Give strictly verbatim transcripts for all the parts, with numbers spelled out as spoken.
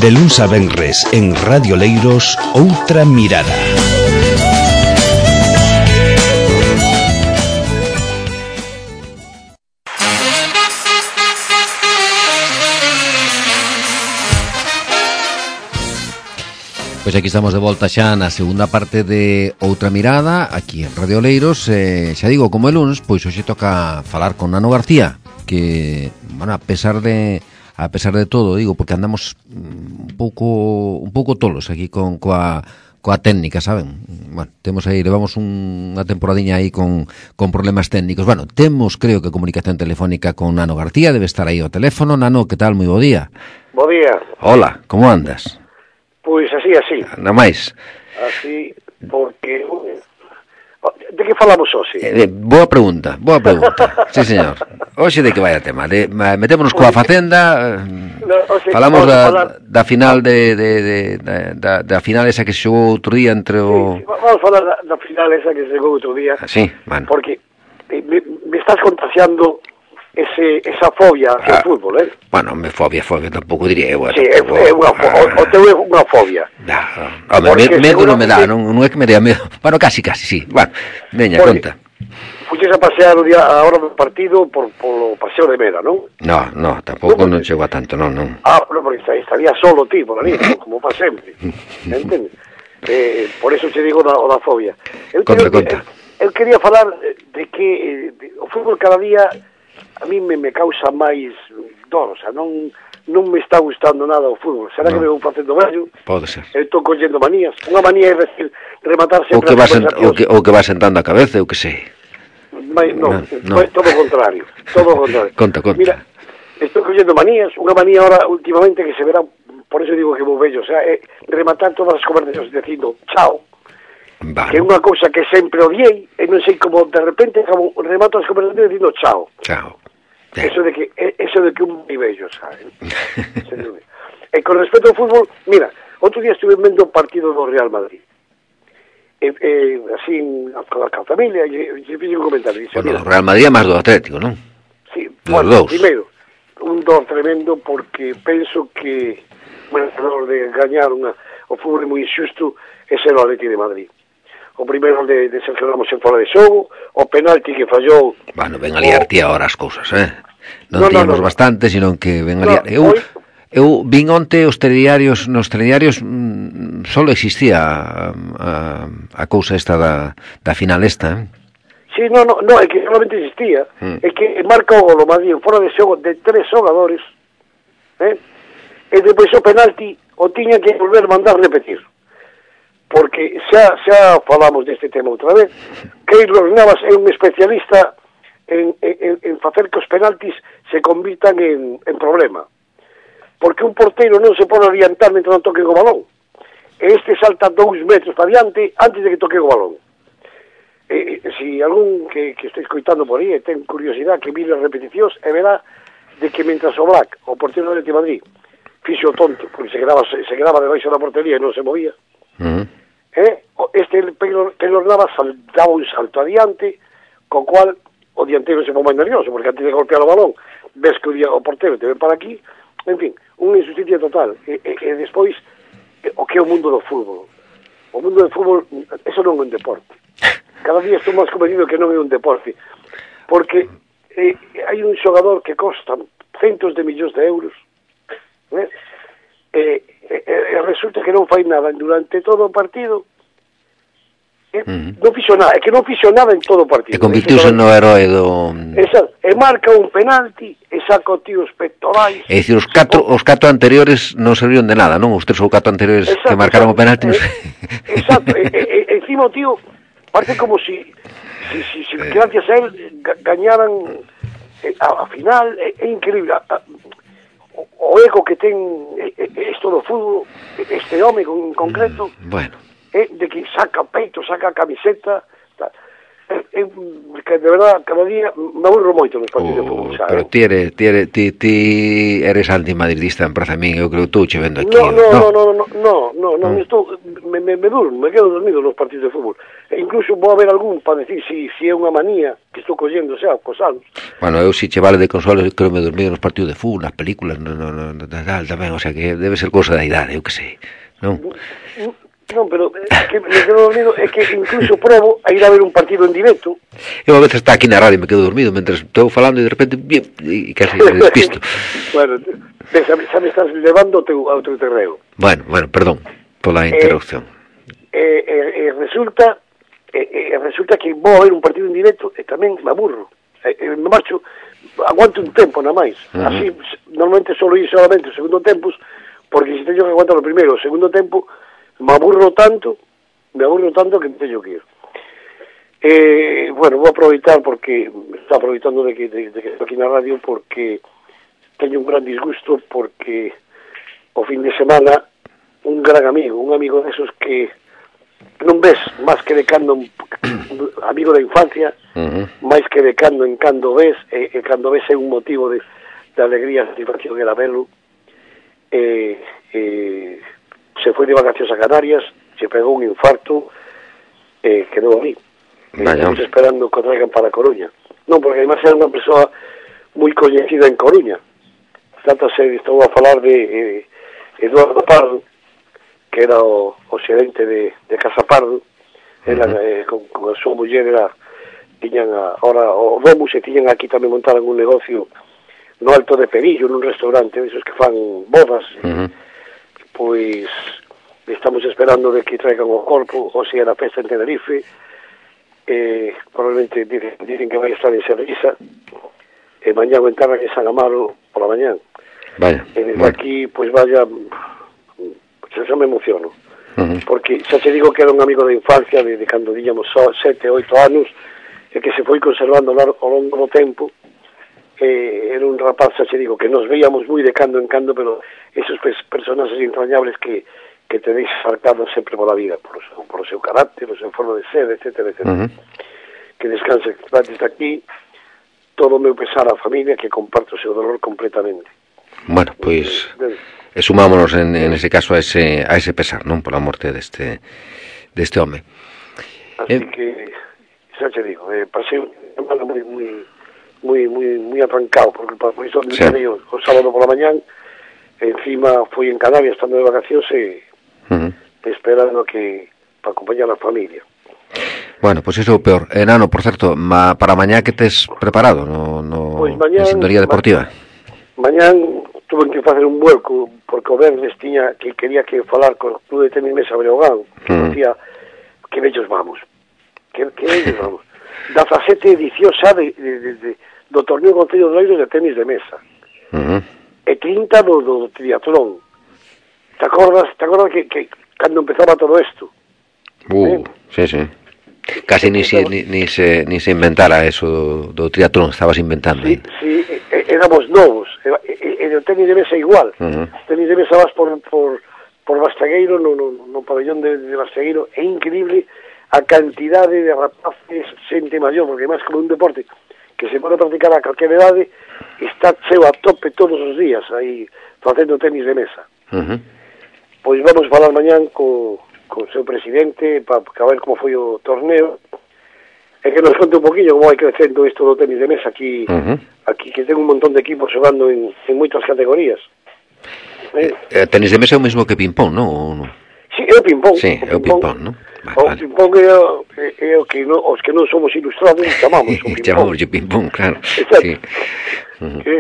De luns a venres en Radio Leiros, Outra Mirada. Pois aquí estamos de volta xa na segunda parte de Outra Mirada, aquí en Radio Leiros. eh, Xa digo, como é luns, pois hoxe toca falar con Nano García, que, bueno, a pesar de a pesar de todo, digo, porque andamos un pouco un pouco tolos aquí con coa coa técnica, saben? Bueno, temos aí, levamos un, unha temporadiña aí con, con problemas técnicos. Bueno, temos, creo que, comunicación telefónica con Nano García, debe estar aí ao teléfono. Nano, que tal? Moi bo día. Bo día. Hola, como andas? Pois así, así. Anda máis. Así, porque... De que falamos hoxe? Eh, boa pregunta, boa pregunta. Sí, señor. Hoxe de que vai a tema? De, metémonos coa Facenda, no, oxe, falamos da, falar... da final de, de, de, de da, da final esa que se xogou outro día entre o... Sí, vamos a falar da, da final esa que se xogou outro día. Sí, bueno. Porque me, me estás contagiando ese, esa fobia hacia ah, o fútbol, eh? Bueno, me fobia, fobia, tampouco diría eu. Sí, é, é unha fobia, ah, o teu é unha fobia. No, no, me, medo non me dá, non, non é que me dea medo. Bueno, casi, casi, sí. Bueno, veña, conta. Fuches a pasear o día a hora do partido por polo paseo de Mera, non? No, no, tampouco non, non chego a tanto, non, non. Ah, no, porque estaría solo ti por ali, como para sempre. Entende? Eh, por eso te digo da, o da fobia. Eu conta, conta. Eu quería falar de que de, o fútbol cada día a mí me, me causa máis dor, o sea, non non me está gustando nada o fútbol. Será no. que me vou facendo vello? Pode ser. Eu estou collendo manías. Unha manía é decir, rematar sempre... O que, vas en, o, que, o que vas sentando a cabeza, eu que sei. Mas, no, no, no, todo o contrario. Todo o contrario. Conta, conta. Mira, estou collendo manías. Unha manía ahora, últimamente, que se verá, por eso digo que vou vello, o sea, é rematar todas as conversacións dicindo chao. Vale. Que é unha cousa que sempre odiei, e non sei como de repente como remato as conversacións dicindo chao. Chao. Eso de que eso de que un vello, sabe? E con respecto ao fútbol, mira, outro día estuve vendo o partido do Real Madrid. E, e así, con a familia, e se fixe un comentario. Dice, bueno, o Real Madrid é máis do Atlético, non? Sí, dos bueno, dous. Primeiro, un dor tremendo porque penso que bueno, o de gañar unha, o fútbol é moi injusto é ser o Atlético de Madrid. O primeiro de, de Sergio Ramos en fora de xogo, o penalti que fallou... Bueno, ven a liar ti ahora as cousas, eh? Non no, tíamos no, no. bastante, sino que ven a liar... No, eu, hoy... eu vin onte os telediarios, nos telediarios mmm, solo existía a, a, a cousa esta da, da final esta, eh? Sí, no, no, no, é que solamente existía, mm. é que marca o gol o Madrid en fora de xogo de tres xogadores, eh? E depois o penalti o tiña que volver a mandar repetir. Porque xa, xa falamos deste tema outra vez. Keylor Navas é un especialista en, en, en facer que os penaltis se convirtan en, en problema. Porque un porteiro non se pode orientar mentre non toque o balón. E este salta dous metros para diante antes de que toque o balón. E, e, si algún que, que este escoitando por aí e ten curiosidade que mire as repeticións e verá de que mentras o Black, o porteiro do Atlético de Madrid, fixo o tonto, porque se quedaba, se, se quedaba debaixo da portería e non se movía, uh-huh. Eh, este Keylor Navas daba un salto adiante, co cual o dianteiro se pon máis nervioso, porque antes de golpear o balón, ves que o, día, o portero te ven para aquí, en fin, unha injusticia total. E, e, e despois, o que é o mundo do fútbol? O mundo do fútbol, eso non é un deporte. Cada día estou máis convencido que non é un deporte, porque eh, hai un xogador que costa centos de millóns de euros, eh, e eh, eh, resulta que non fai nada durante todo o partido, eh, uh-huh. non fixo nada, é que non fixo nada en todo o partido. E convirtiuse no herói do... Exacto, e marca un penalti e saca o tío os pectorais. É dicir, os catro, os catro anteriores non serviron de nada, non? Os tres ou catro anteriores exacto, que marcaron exacto, o penalti. Non sei. Exacto, e, e, e encima o tío parece como si, si, si, si eh. gracias a él gañaran eh, a, a final, é, é increíble. A, a, o ego que ten isto do fútbol, este home en concreto, mm, bueno. eh, de que saca peito, saca camiseta, tal. eu, que de verdad, cada día me aburro moito nos partidos de fútbol, xa, pero eh? ti eres, ti eres, ti, ti eres antimadridista, en praza a min, eu creo que estou che vendo aquí. No, no, no, no, no, no, no, no, no, Mm. estou, me, me, me durmo, me quedo dormido nos partidos de fútbol. E incluso vou a ver algún para decir si, si é unha manía que estou collendo, xa, cos anos. Bueno, eu si che vale de consola, eu creo que me dormido nos partidos de fútbol, nas películas, no, no, no, no, tal, tamén, o sea que debe ser cousa da idade, eu que sei, non? Non, pero é que me quedo dormido, é que incluso probo a ir a ver un partido en directo. Eu a veces está aquí na radio e me quedo dormido mentre estou falando e de repente bien, e casi me despisto. Bueno, xa, xa me estás levando ao teu, ao teu terreo. Bueno, bueno, perdón pola interrupción. Eh, eh, eh, resulta eh, eh, resulta que vou a ver un partido en directo e tamén me aburro. Eh, eh, me marcho, aguanto un tempo na máis. Uh -huh. Así, normalmente solo ir solamente o segundo tempo, porque se teño que aguantar o primeiro o segundo tempo, me aburro tanto, me aburro tanto que teño que ir. Eh, bueno, vou aproveitar porque está aproveitando de que, de, de que estou aquí na radio, porque teño un gran disgusto, porque o fin de semana un gran amigo, un amigo desos que non ves máis que de cando amigo da infancia, uh -huh. máis que de cando en cando ves, e, e cando ves é un motivo de, de alegría, satisfacción era velo. Eh, eh, se foi de vacacións a Canarias, se pegou un infarto, eh, quedou ali. Estamos esperando que o traigan para a Coruña. Non, porque además era unha persoa moi coñecida en Coruña. Tanto se estou a falar de eh, Eduardo Pardo, que era o, o xerente de, de Casa Pardo. Ela, uh -huh. eh, con, con a súa muller era, tiñan a, ahora o Domus, e tiñan aquí tamén montaran un negocio no Alto de Perillo, nun restaurante, esos que fan bodas. Uh -huh. Pois estamos esperando de que traigan o corpo, ou se era festa en Tenerife, eh, probablemente dicen, dicen que vai estar en Servisa, e mañá o enterran en San Amaro pola mañán. Vaya, e desde bueno. aquí, pois vaya, xa, xa me emociono, uh -huh. porque xa te digo que era un amigo da infancia, de, de cando díamos sete, oito anos, e que se foi conservando ao longo do tempo. Eh, era un rapaz, xa te digo, que nos veíamos moi de cando en cando, pero esos personajes entrañables que, que tenéis marcados sempre pola vida, por o seu, por o seu carácter, o seu forma de ser, etcétera, etcétera. Uh -huh. Que descanse desde aquí, todo o meu pesar á familia, que comparto o seu dolor completamente. Bueno, pois, pues, e sumámonos en, en ese caso a ese, a ese pesar, non? Pola morte deste, deste home. Así eh... que, xa te digo, eh, pasei unha semana moi, moi, moi, moi, moi arrancado, porque por iso me sí. o, o sábado pola mañán, encima fui en Canarias, estando de vacacións, e uh -huh. esperando que, para acompañar a familia. Bueno, pois pues iso é o peor. Eh, Nano, por certo, ma, para mañá que tes preparado no, no pues mañán, en Sintonía Deportiva? Ma, mañán tuve que facer un vuelco, porque o Verdes tiña que quería que falar con o Club de Tenis Mesa Breogán, que uh -huh. decía que bellos vamos, que, que bellos vamos. dezasete edición xa de, de, de, de, do torneo Concello de Oleiros de tenis de mesa. Uh -huh. E trinta do, do triatlón. Te acordas, te acordas que, que cando empezaba todo isto? Uh, ¿Eh? sí, sí. Casi ni se, ni, ni, se, ni se inventara eso do, do triatlón, estabas inventando. Sí, sí, éramos novos, e o tenis de mesa igual. Uh -huh. Tenis de mesa vas por, por, por Bastegueiro, no, no, no pabellón de, de Bastegueiro, é increíble a cantidade de rapaces, xente maior, porque máis como un deporte que se pode practicar a calquera idade, está cheo a tope todos os días aí facendo tenis de mesa. Uh -huh. Pois vamos falar mañán co con o seu presidente, para ver como foi o torneo, e que nos conte un poquillo como vai crecendo isto do tenis de mesa aquí, uh -huh. aquí que ten un montón de equipos xogando en, en moitas categorías. Eh, eh, tenis de mesa é o mesmo que ping-pong, non? Sí, é o ping-pong. Sí, é o ping-pong, non? Vale, o vale. ping-pong é, é, é o que no, os que non somos ilustrados chamamos o ping-pong. Chamamos o ping-pong, claro. Exacto. Sí. Uh -huh. Que,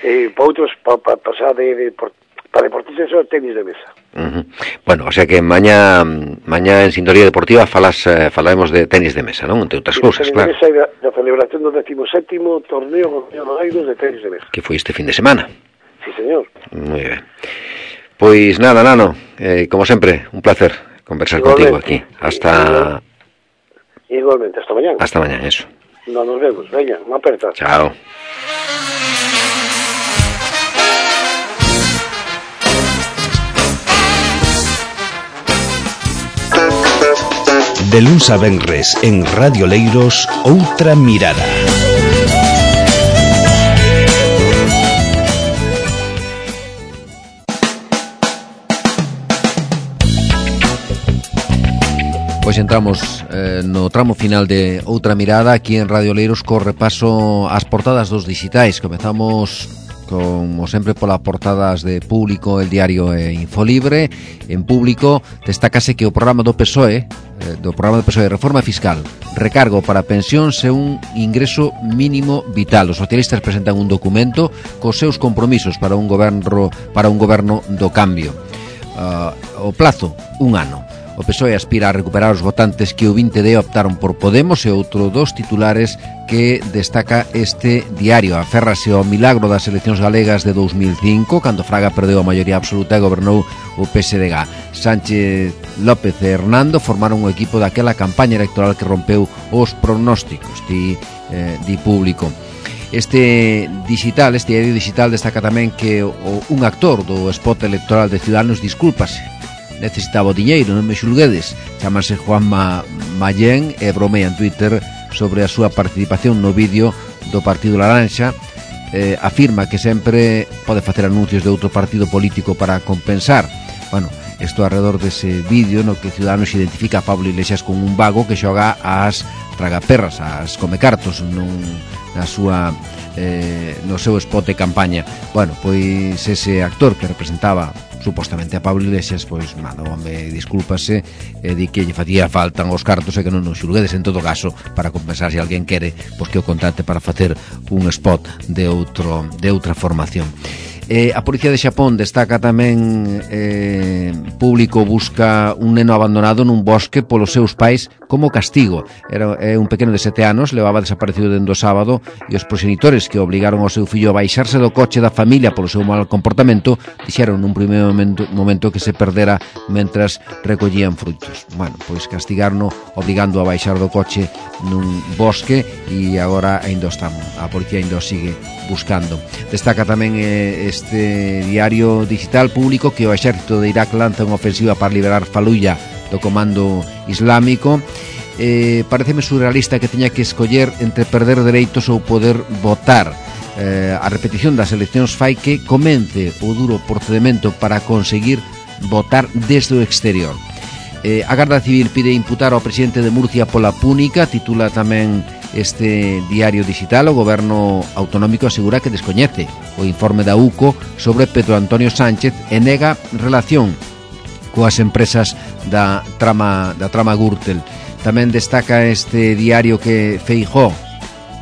eh, para outros, para pa, pasar de, de por, para deportistas é o tenis de mesa. Uh -huh. Bueno, o sea que mañá mañá en Sintonía Deportiva falas, eh, falaremos de tenis de mesa, non? Entre outras cousas, claro. Tenis de mesa da, da celebración do decimoséptimo torneo Concello de Oleiros de tenis de mesa. Que foi este fin de semana. Sí, señor. Moi ben. Pois nada, Nano, eh, como sempre, un placer conversar igualmente contigo aquí. Hasta... Igualmente, hasta mañana. Hasta mañana, eso. No, nos vemos. Venga, una aperta. Chao. De luns a venres en Radio Leiros, Outra Mirada. Pois entramos eh, no tramo final de Outra Mirada aquí en Radio Leiros co repaso ás portadas dos digitais. Comezamos como sempre polas portadas de Público, El Diario e Infolibre. En Público destácase que o programa do P S O E, eh, do programa do P S O E de Reforma Fiscal, recargo para pensións e un ingreso mínimo vital. Os socialistas presentan un documento cos seus compromisos para un goberno para un goberno do cambio. Uh, o plazo, un ano. O P S O E aspira a recuperar os votantes que o vinte de optaron por Podemos e outro dos titulares que destaca este diario. Aférrase ao milagro das eleccións galegas de dous mil cinco, cando Fraga perdeu a maioría absoluta e gobernou o P S D G. Sánchez López e Hernando formaron o equipo daquela campaña electoral que rompeu os pronósticos, di, eh, di Público. Este digital, este diario digital destaca tamén que o, un actor do spot electoral de Ciudadanos discúlpase. Necesitaba o diñeiro, non me xulguedes. Chámase Juanma Mallén e bromea en Twitter sobre a súa participación no vídeo do Partido Laranxa. Eh, afirma que sempre pode facer anuncios de outro partido político para compensar. Bueno, isto alrededor dese vídeo no que Ciudadanos identifica a Pablo Iglesias con un vago que xoga ás tragaperras, ás comecartos nun, na súa eh, no seu spot de campaña. Bueno, pois ese actor que representaba supostamente a Pablo Iglesias, pois, mano, home, discúlpase e di que lle facía faltan os cartos e que non nos xulguedes en todo caso para compensar se alguén quere, pois que o contrate para facer un spot de outro de outra formación. Eh, a Policía de Xapón destaca tamén eh, Público busca un neno abandonado nun bosque polos seus pais como castigo. Era eh, un pequeno de sete anos, levaba desaparecido dende o sábado e os proxenitores que obligaron ao seu fillo a baixarse do coche da familia polo seu mal comportamento dixeron nun primeiro momento, momento que se perdera mentras recollían frutos. Bueno, pois castigarno obligando a baixar do coche nun bosque e agora ainda estamos. A policía ainda o sigue buscando. Destaca tamén eh, este diario digital Público que o exército de Irak lanza unha ofensiva para liberar Faluya do comando islámico. Eh, pareceme surrealista que teña que escoller entre perder dereitos ou poder votar. Eh, a repetición das eleccións fai que comence o duro procedimento para conseguir votar desde o exterior. Eh, a Garda Civil pide imputar ao presidente de Murcia pola púnica, titula tamén este diario digital. O goberno autonómico asegura que descoñece o informe da U C O sobre Pedro Antonio Sánchez e nega relación coas empresas da trama da trama Gürtel. Tamén destaca este diario que Feijóo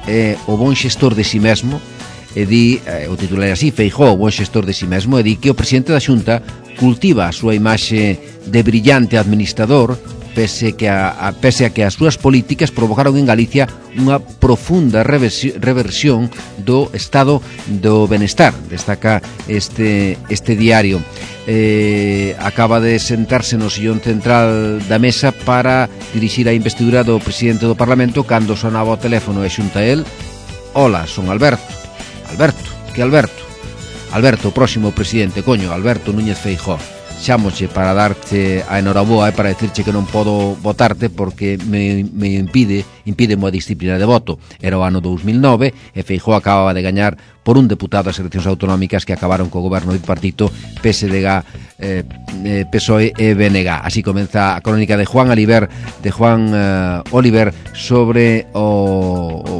é o bon xestor de si mesmo e di, eh, o titular é así, Feijóo, o bon xestor de si mesmo, e di que o presidente da Xunta cultiva a súa imaxe de brillante administrador pese, que a, a, pese a que as súas políticas provocaron en Galicia unha profunda reversión do estado do benestar. Destaca este, este diario. Eh, acaba de sentarse no sillón central da mesa para dirixir a investidura do presidente do Parlamento cando sonaba o teléfono e xunta el: hola, son Alberto. Alberto, que Alberto? Alberto, o próximo presidente, coño, Alberto Núñez Feijóo. Chámoche para darte a enhoraboa e para decirche que non podo votarte porque me, me impide impide a disciplina de voto. Era o ano dous mil nove e Feijóo acababa de gañar por un deputado as eleccións autonómicas que acabaron co goberno bipartito P S D G, eh, P S O E e B N G. Así comeza a crónica de Juan Oliver, de Juan uh, Oliver sobre o, o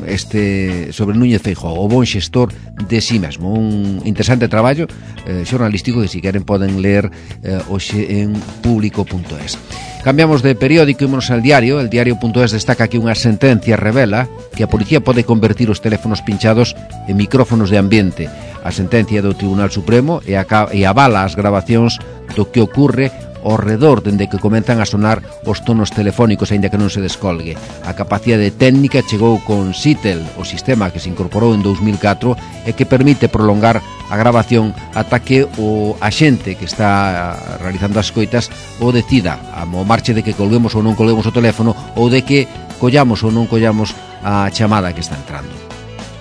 este sobre Núñez Feijóo, o bon xestor de si mesmo. Un interesante traballo eh, xornalístico que si queren poden ler eh, hoxe en público punto es. Cambiamos de periódico e ímonos al diario. El diario punto es destaca que unha sentencia revela que a policía pode convertir os teléfonos pinchados en micrófonos de ambiente. A sentencia do Tribunal Supremo e, a, e avala as grabacións do que ocurre ao redor dende que comenzan a sonar os tonos telefónicos aínda que non se descolgue. A capacidade técnica chegou con Sitel, o sistema que se incorporou en dous mil catro e que permite prolongar a grabación ata que o axente que está realizando as coitas o decida, a marche de que colguemos ou non colguemos o teléfono ou de que collamos ou non collamos a chamada que está entrando.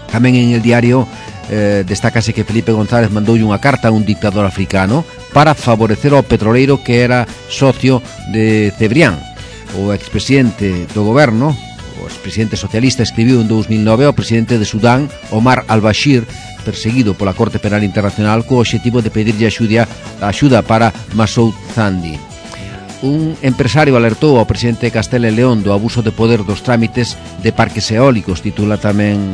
Tamén en el diario eh, destácase que Felipe González mandoulle unha carta a un dictador africano para favorecer ao petroleiro que era socio de Cebrián. o expresidente do goberno, o expresidente socialista, escribiu en dous mil nove ao presidente de Sudán, Omar al-Bashir, perseguido pola Corte Penal Internacional, co obxectivo de pedirlle axuda, axuda para Massoud Zandi. Un empresario alertou ao presidente de Castela e León do abuso de poder dos trámites de parques eólicos, titula tamén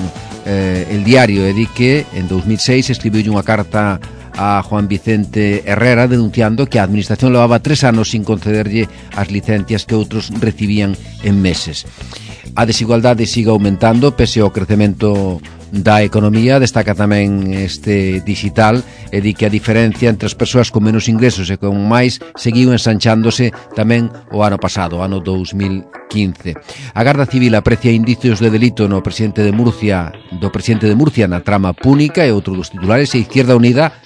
eh, El Diario, e di que en dous mil seis escribiu unha carta a Juan Vicente Herrera denunciando que a administración levaba tres anos sin concederlle as licencias que outros recibían en meses. A desigualdade sigue aumentando pese ao crecemento da economía. Destaca tamén este digital e di que a diferencia entre as persoas con menos ingresos e con máis seguiu ensanchándose tamén o ano pasado, ano dous mil quince. A Garda Civil aprecia indicios de delito no presidente de Murcia, do presidente de Murcia na trama púnica, e outro dos titulares, e Izquierda Unida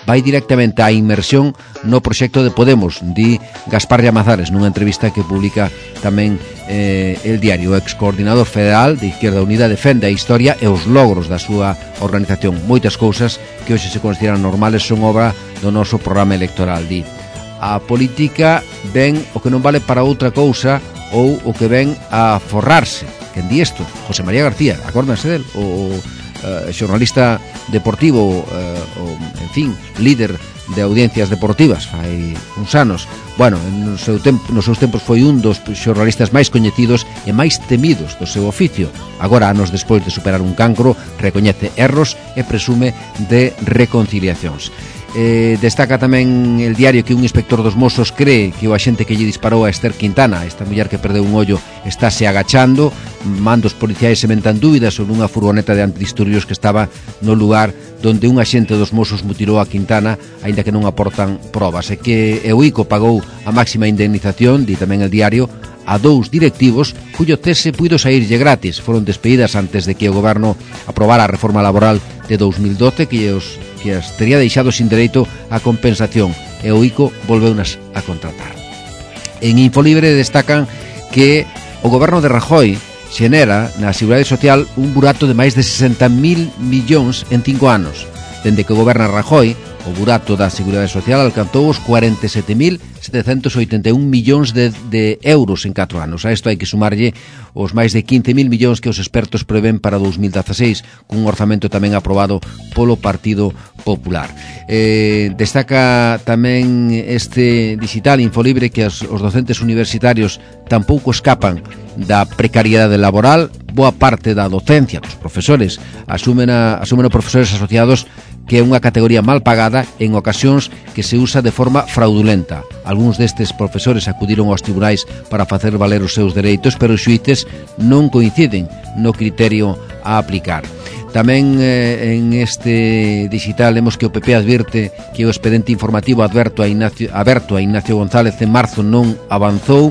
vai directamente á inmersión no proxecto de Podemos, di Gaspar Llamazares nunha entrevista que publica tamén eh, El Diario. O excoordinador federal de Izquierda Unida defende a historia e os logros da súa organización. Moitas cousas que hoxe se consideran normales son obra do noso programa electoral, di. A política ven o que non vale para outra cousa ou o que ven a forrarse. Quen di isto? José María García, acórdanse del? O Uh, xornalista deportivo, uh, o, en fin, líder de audiencias deportivas fai uns anos. Bueno, no seu tempo, nos seus tempos foi un dos xornalistas máis coñecidos e máis temidos do seu oficio. Agora, anos despois de superar un cancro, recoñece erros e presume de reconciliacións. Eh, destaca tamén El Diario que un inspector dos Mossos cree que o axente que lle disparou a Esther Quintana, esta muller que perdeu un ollo, estáse agachando. Mandos policiais sementan dúbidas sobre unha furgoneta de antidisturbios que estaba no lugar donde un axente dos Mossos mutilou a Quintana, aínda que non aportan probas, e que o I C O pagou a máxima indemnización, di tamén El Diario, a dous directivos cuyo cese puido saírlle gratis. Foron despedidas antes de que o goberno aprobara a reforma laboral de dous mil doce que os que as tería deixado sin dereito a compensación, e o I C O volveunas a contratar. En Infolibre destacan que o goberno de Rajoy xenera na Seguridade Social un burato de máis de sesenta mil millóns en cinco anos. Dende que goberna Rajoy, o burato da Seguridade Social alcanzou os cuarenta e sete mil setecentos oitenta e un millóns de, de euros en catro anos. A isto hai que sumarlle os máis de quince mil millóns que os expertos prevén para dous mil dezaseis, cun orzamento tamén aprobado polo Partido Popular. Eh, destaca tamén este digital Infolibre que os, os docentes universitarios tampouco escapan da precariedade laboral. Boa parte da docencia dos profesores asumen, a, asumen os profesores asociados que é unha categoría mal pagada en ocasións que se usa de forma fraudulenta. Algúns destes profesores acudiron aos tribunais para facer valer os seus dereitos, pero os xuíces non coinciden no criterio a aplicar. Tamén eh, en este digital lemos que o P P advirte que o expediente informativo adverto a Ignacio, aberto a Ignacio González en marzo non avanzou,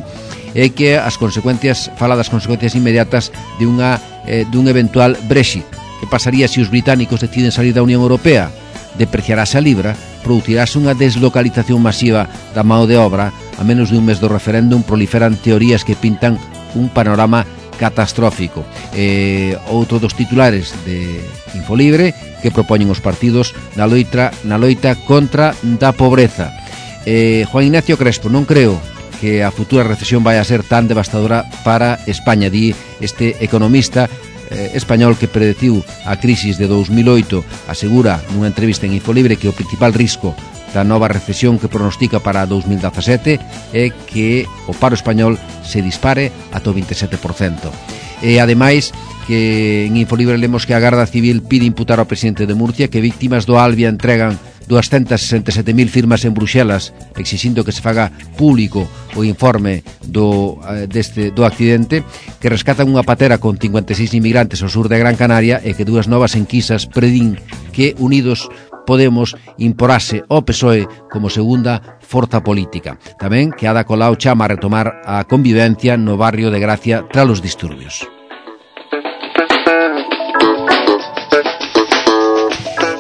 e que as consecuencias, fala das consecuencias inmediatas de unha eh, dun eventual Brexit. Que pasaría se os británicos deciden salir da Unión Europea? Depreciarase a libra, producirase unha deslocalización masiva da mão de obra. A menos de un mes do referéndum proliferan teorías que pintan un panorama catastrófico. Eh, outro dos titulares de Infolibre que propoñen os partidos na loita, na loita contra da pobreza. Eh, Juan Ignacio Crespo, non creo que a futura recesión vai a ser tan devastadora para España, di este economista eh, español que predeciu a crisis de dous mil oito. Asegura nunha entrevista en Infolibre que o principal risco da nova recesión que pronostica para dous mil dezasete é que o paro español se dispare ata o vinte e sete por cento. E ademais que en Infolibre lemos que a Garda Civil pide imputar ao presidente de Murcia que víctimas do Albia entregan doscientas sesenta e sete mil firmas en Bruxelas exixindo que se faga público o informe do, deste, do accidente, que rescatan unha patera con cincuenta e seis inmigrantes ao sur de Gran Canaria e que dúas novas enquisas predín que Unidos Podemos imporase ao P S O E como segunda forza política. Tamén que Ada Colau chama a retomar a convivencia no barrio de Gracia tras os disturbios.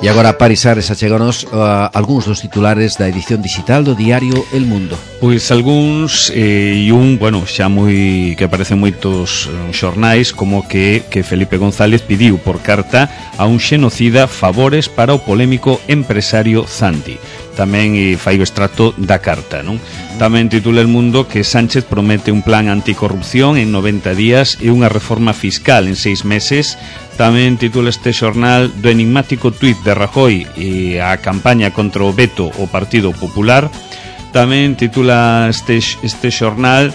E agora, Paris Ares, acheganos uh, algúns dos titulares da edición digital do diario El Mundo. Pois algúns eh, e un, bueno, xa moi que aparecen moitos uh, xornais como que, que Felipe González pidiu por carta a un xenocida favores para o polémico empresario Zandi. tamén e fai o extracto da carta, non? Tamén titula El Mundo que Sánchez promete un plan anticorrupción en noventa días e unha reforma fiscal en seis meses. Tamén titula este xornal do enigmático tuit de Rajoy e a campaña contra o veto ao Partido Popular. Tamén titula este, este xornal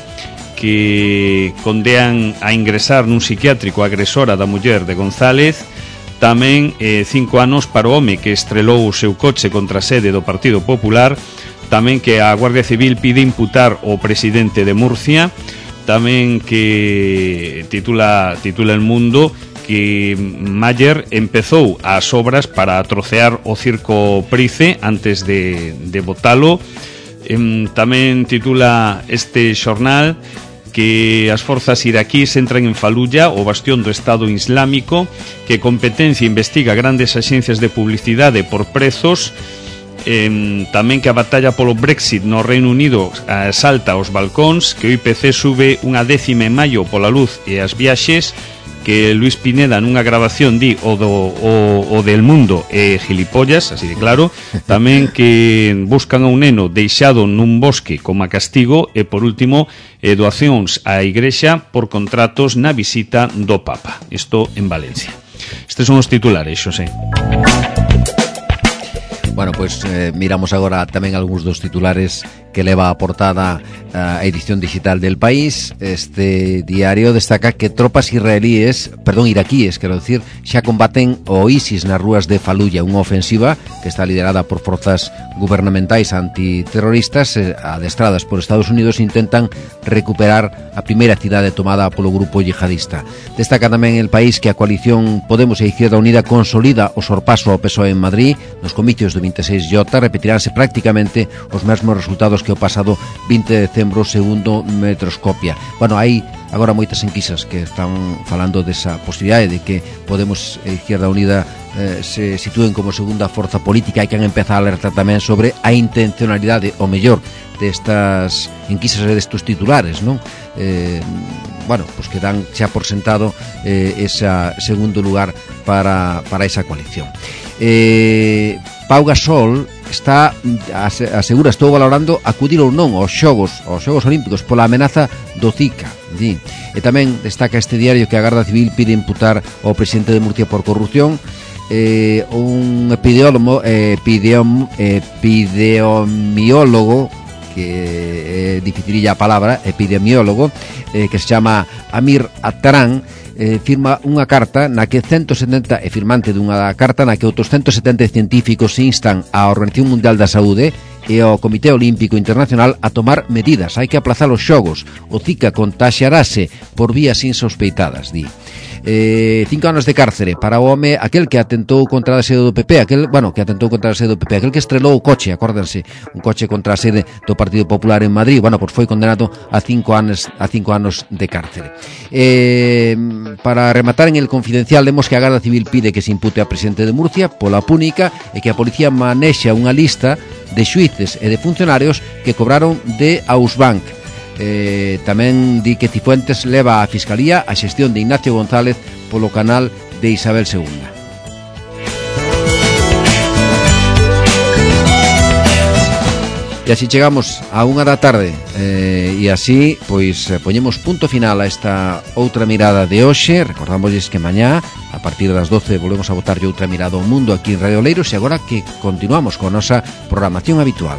que condean a ingresar nun psiquiátrico agresora da muller de González. Tamén eh, cinco anos para o home que estrelou o seu coche contra a sede do Partido Popular. Tamén que a Guardia Civil pide imputar o presidente de Murcia. Tamén que titula, titula El Mundo que Mayer empezou as obras para trocear o circo Price antes de, de botalo. Eh, tamén titula este xornal que as forzas iraquíes entran en Faluya, o bastión do Estado Islámico, que Competencia investiga grandes axencias de publicidade por prezos, eh, tamén que a batalla polo Brexit no Reino Unido eh, salta aos balcóns, que o I P C sube unha décima en maio pola luz e as viaxes, que Luis Pineda nunha grabación di o do o, o del mundo e eh, gilipollas, así de claro. Tamén que buscan a un neno deixado nun bosque como a castigo. E por último, eh, doacións á Igrexa por contratos na visita do Papa. Isto en Valencia. Estes son os titulares, Xosé. Bueno, pois pues, eh, miramos agora tamén algúns dos titulares que leva a portada a edición digital del País. Este diario destaca que tropas israelíes, perdón, iraquíes, quero decir, xa combaten o ISIS nas rúas de Faluya, unha ofensiva que está liderada por forzas gubernamentais antiterroristas eh, adestradas por Estados Unidos. Intentan recuperar a primeira cidade tomada polo grupo yihadista. Destaca tamén El País que a coalición Podemos e Izquierda Unida consolida o sorpaso ao P S O E en Madrid. Nos comicios do vinte e seis J repetiránse prácticamente os mesmos resultados que o pasado vinte de decembro segundo Metroscopia. Bueno, hai agora moitas enquisas que están falando desa posibilidade de que Podemos e Izquierda Unida eh, se sitúen como segunda forza política, e que han empezado a alertar tamén sobre a intencionalidade, o mellor, destas enquisas e destos titulares, non? Eh, bueno, pues que dan xa por sentado eh, ese segundo lugar para, para esa coalición. Eh, Pau Gasol está asegura estou valorando acudir ou non aos xogos aos xogos olímpicos pola amenaza do Zika, sí. E tamén destaca este diario que a Garda Civil pide imputar ao presidente de Murcia por corrupción. Eh, un epidemiólogo epidem, epidemiólogo que é dificililla a palabra, epidemiólogo, eh, que se chama Amir Atarán, eh, firma unha carta na que ciento setenta, é firmante dunha carta na que outros ciento setenta científicos instan á Organización Mundial da Saúde e ao Comité Olímpico Internacional a tomar medidas. Hai que aplazar os xogos. O Zika contaxiarase por vías insospeitadas, di. Eh, cinco anos de cárcere para o home aquel que atentou contra a sede do P P, aquel, bueno, que atentou contra a sede do P P, aquel que estrelou o coche, acórdense, un coche contra a sede do Partido Popular en Madrid. Bueno, pois foi condenado a cinco anos a cinco anos de cárcere. Eh, para rematar en el Confidencial, vemos que a Garda Civil pide que se impute a presidente de Murcia pola púnica e que a policía manexa unha lista de xuíces e de funcionarios que cobraron de Ausbank. Eh, tamén di que Cifuentes leva á Fiscalía a xestión de Ignacio González polo canal de Isabel segunda. E así chegamos a unha da tarde eh, e así pois poñemos punto final a esta outra mirada de hoxe. Recordamosles que mañá a partir das doce volvemos a botarlle outra mirada ao mundo aquí en Radio Oleiros, e agora que continuamos con a nosa programación habitual.